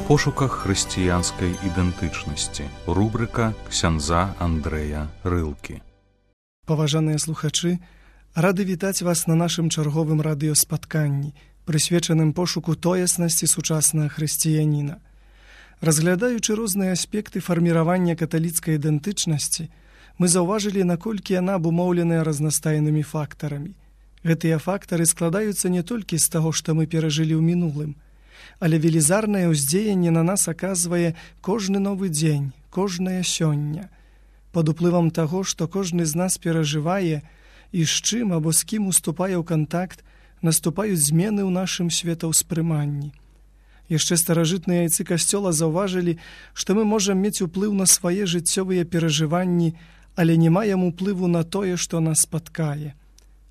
пошуках хрысціянскай ідэнтычнасці. Рубрыка ксяндза Андрэя Рылкі. Паважаныя слухачы, рады вітаць вас на нашым чарговым радыёспатканні, прысвечаным пошуку тоеснасці сучаснага хрысціяніна. Разглядаючы розныя аспекты фарміравання каталіцкай ідэнтычнасці, мы заўважылі, наколькі яна абумоўленая разнастайнымі фактарамі. Гэтыя фактары складаюцца не толькі з таго, што мы перажылі ў мінулым, але велізарнае ўздзеянне на нас аказвае кожны новы дзень, кожнае сёння. Пад уплывам таго, што кожны з нас перажывае і з чым або з кім уступае ў кантакт, наступаюць змены ў нашым светаўспрыманні. Яшчэ старажытныя айцы касцёла заўважылі, што мы можам мець уплыў на свае жыццёвыя перажыванні, але не маем уплыву на тое, што нас спаткае.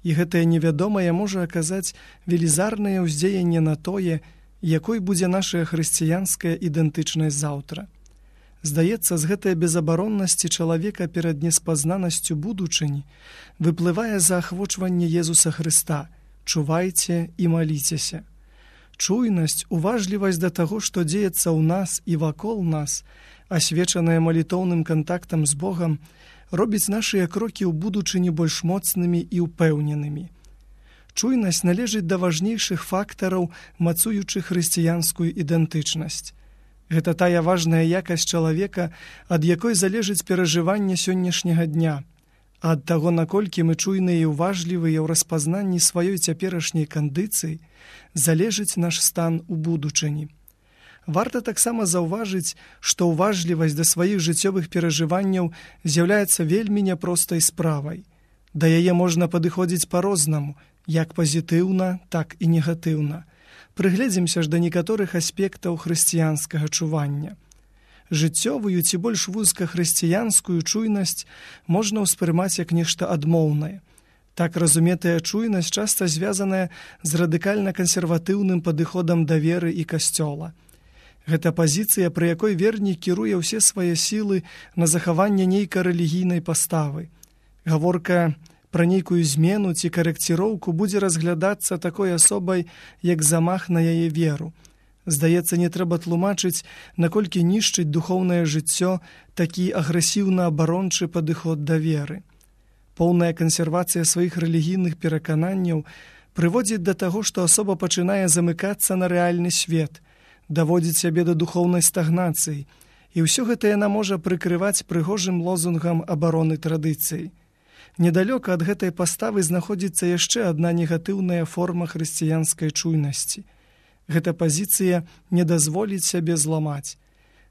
І гэтае невядомае можа аказаць велізарнае ўздзеянне на тое, якой будзе наша хрысціянская ідэнтычнасць заўтра. Здаецца, з гэтай безабароннасці чалавека перад неспазнанасцю будучыні выплывае заахвочванне Езуса Хрыста: «Чувайце і маліцеся». Чуйнасць, уважлівасць да таго, што дзеецца ў нас і вакол нас, асвечаная малітоўным кантактам з Богам, робіць нашыя крокі ў будучыні больш моцнымі і ўпэўненымі. Чуйнасць належыць да важнейшых фактараў, мацуючых хрысціянскую ідэнтычнасць. Гэта тая важная якасць чалавека, ад якой залежыць перажыванне сённяшняга дня, а ад таго, наколькі мы чуйныя і ўважлівыя ў распазнанні сваёй цяперашняй кандыцыі, залежыць наш стан у будучыні. Варта таксама заўважыць, што ўважлівасць да сваіх жыццёвых перажыванняў з'яўляецца вельмі няпростай справай. Да яе можна падыходзіць па-рознаму, як пазітыўна, так і негатыўна. Прыгледзімся ж да некаторых аспектаў хрысціянскага чування. Жыццёвую ці больш вузка хрысціянскую чуйнасць можна ўспрымаць як нешта адмоўнае. Так разуметая чуйнасць часта звязаная з радыкальна-кансерватыўным падыходам да веры і касцёла. Гэта пазіцыя, пры якой вернік кіруе ўсе свае сілы на захаванне нейкай рэлігійнай паставы. Гаворка пра нейкую змену ці карэкціроўку будзе разглядацца такой асобай, як замах на яе веру. Здаецца, не трэба тлумачыць, наколькі нішчыць духоўнае жыццё такі агрэсіўна-абарончы падыход да веры. Поўная кансервацыя сваіх рэлігійных перакананняў прыводзіць да таго, што асоба пачынае замыкацца на рэальны свет, даводзіць сябе да духоўнай стагнацыі, і ўсё гэта яна можа прыкрываць прыгожым лозунгам абароны традыцыі. Недалёка ад гэтай паставы знаходзіцца яшчэ адна негатыўная форма хрысціянскай чуйнасці. Гэта пазіцыя не дазволіць сябе зламаць.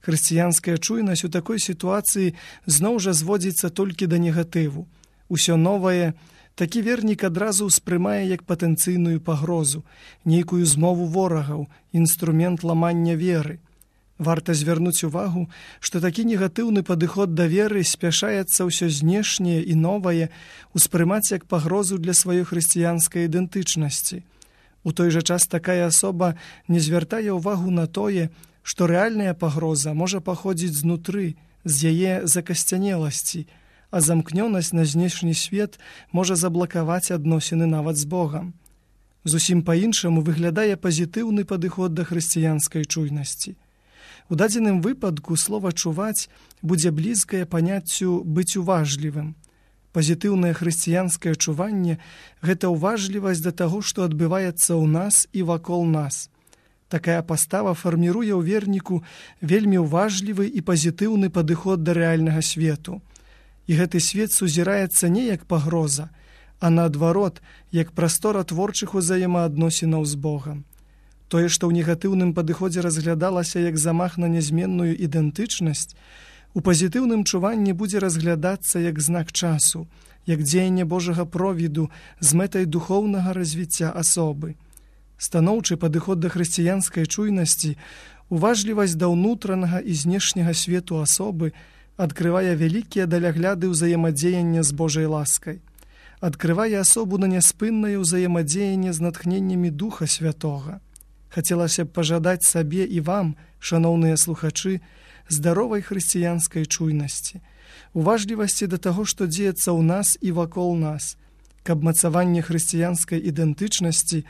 Хрысціянская чуйнасць у такой сітуацыі зноў жа зводзіцца толькі да негатыву. Усё новае такі вернік адразу ўспрымае як патэнцыйную пагрозу, нейкую змову ворагаў, інструмент ламання веры. Варта звярнуць увагу, што такі негатыўны падыход да веры спяшаецца ўсё знешняе і новае ўспрымаць як пагрозу для сваёй хрысціянскай ідэнтычнасці. У той жа час такая асоба не звяртае ўвагу на тое, што рэальная пагроза можа паходзіць знутры, з яе закасцянеласці, а замкнёнасць на знешні свет можа заблакаваць адносіны нават з Богам. Зусім па-іншаму выглядае пазітыўны падыход да хрысціянскай чуйнасці. У дадзеным выпадку слова «чуваць» будзе блізкае паняццю «быць уважлівым». Пазітыўнае хрысціянскае чуванне – гэта ўважлівасць да таго, што адбываецца ў нас і вакол нас. Такая пастава фарміруе ў верніку вельмі ўважлівы і пазітыўны падыход да рэальнага свету. І гэты свет сузіраецца не як пагроза, а наадварот, як прастора творчых узаемаадносінаў з Богам. Тое, што ў негатыўным падыходзе разглядалася як замах на нязменную ідэнтычнасць, у пазітыўным чуванні будзе разглядацца як знак часу, як дзеянне Божага провіду з мэтай духоўнага развіцця асобы. Станоўчы падыход да хрысціянскай чуйнасці, уважлівасць да ўнутранага і знешняга свету асобы адкрывае вялікія далягляды ўзаемадзеяння з Божай ласкай, адкрывае асобу на няспыннае ўзаемадзеянне з натхненнямі Духа Святога. Хацелася б пажадаць сабе і вам, шаноўныя слухачы, здаровай хрысціянскай чуйнасці, уважлівасці да таго, што дзеецца ў нас і вакол нас, каб мацаванне хрысціянскай ідэнтычнасці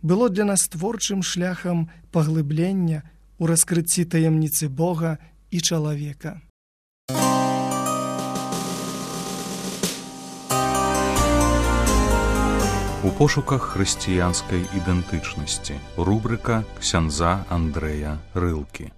было для нас творчым шляхам паглыблення, у раскрыцці таямніцы Бога і чалавека. У пошуках хрысціянскай ідэнтычнасці. Рубрика ксяндза Андрэя Рылкі.